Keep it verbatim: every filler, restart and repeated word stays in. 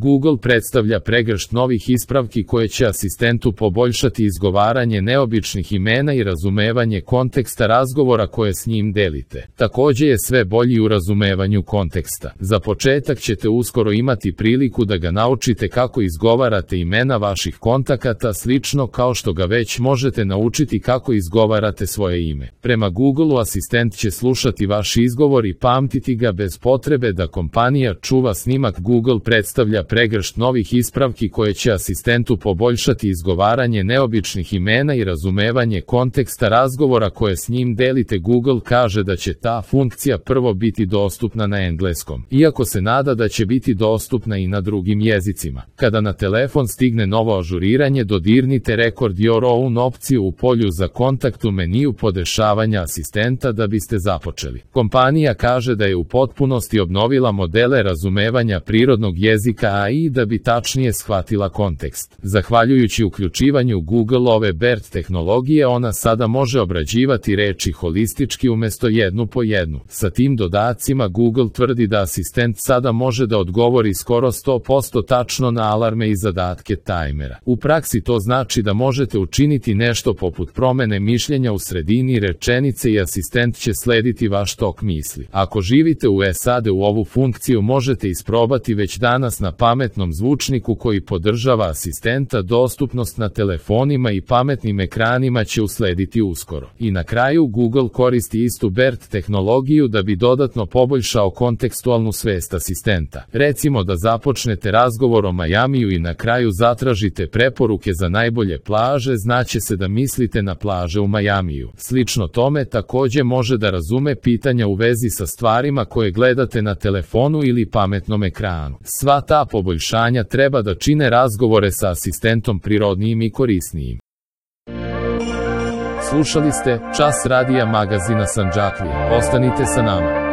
Google predstavlja pregršt novih ispravki koje će asistentu poboljšati izgovaranje neobičnih imena i razumevanje konteksta razgovora koje s njim delite. Takođe je sve bolji u razumevanju konteksta. Za početak ćete uskoro imati priliku da ga naučite kako izgovarate imena vaših kontakata, slično kao što ga već možete naučiti kako izgovarate svoje ime. Prema Googleu asistent će slušati vaš izgovor i pamtiti ga bez potrebe da kompanija čuva snimak. Google predstavlja pregršt novih ispravki koje će asistentu poboljšati izgovaranje neobičnih imena i razumevanje konteksta razgovora koje s njim delite. Google kaže da će ta funkcija prvo biti dostupna na engleskom, iako se nada da će biti dostupna i na drugim jezicima. Kada na telefon stigne novo ažuriranje, dodirnite Record Your Own opciju u polju za kontakt u meniju podešavanja asistenta da biste započeli. Kompanija kaže da je u potpunosti obnovila modele razumevanja prirodnog jezika A I da bi tačnije shvatila kontekst. Zahvaljujući uključivanju Google-ove BERT tehnologije, ona sada može obrađivati reči holistički umesto jednu po jednu. Sa tim dodacima Google tvrdi da asistent sada može da odgovori skoro sto posto tačno na alarme i zadatke tajmera. U praksi to znači da možete učiniti nešto poput promene mišljenja u sredini rečenice i asistent će slediti vaš tok misli. Ako živite u S A D, u ovu funkciju možete isprobati već danas na pametnom zvučniku koji podržava asistenta. Dostupnost na telefonima i pametnim ekranima će uslediti uskoro. I na kraju, Google koristi istu BERT tehnologiju da bi dodatno poboljšao kontekstualnu svest asistenta. Recimo da započnete razgovor o Majamiju i na kraju zatražite preporuke za najbolje plaže, znaće se da mislite na plaže u Majamiju. Slično tome takođe može da razume pitanja u vezi sa stvarima koje gledate na telefonu ili pametnom ekranu. Sva ta poboljšanja treba da čine razgovore sa asistentom prirodnijim i korisnijim. Slušali ste Čas radija magazina Sandžaklija. Ostanite sa nama.